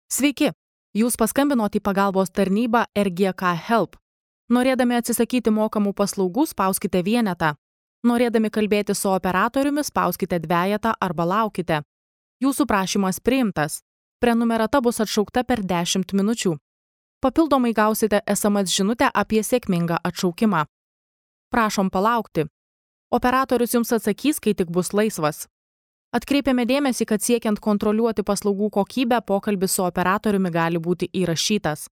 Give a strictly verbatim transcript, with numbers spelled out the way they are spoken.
Sveiki, jūs paskambinote į pagalbos tarnybą R G K Help. Norėdami atsisakyti mokamų paslaugų, spauskite vienetą. Norėdami kalbėti su operatoriumi, spauskite dvejetą arba laukite. Jūsų prašymas priimtas. Prenumerata bus atšaukta per dešimt minučių. Papildomai gausite S M S žinutę apie sėkmingą atšaukimą. Prašom palaukti. Operatorius jums atsakys, kai tik bus laisvas. Atkreipiame dėmesį, kad siekiant kontroliuoti paslaugų kokybę, pokalbis su operatoriumi gali būti įrašytas.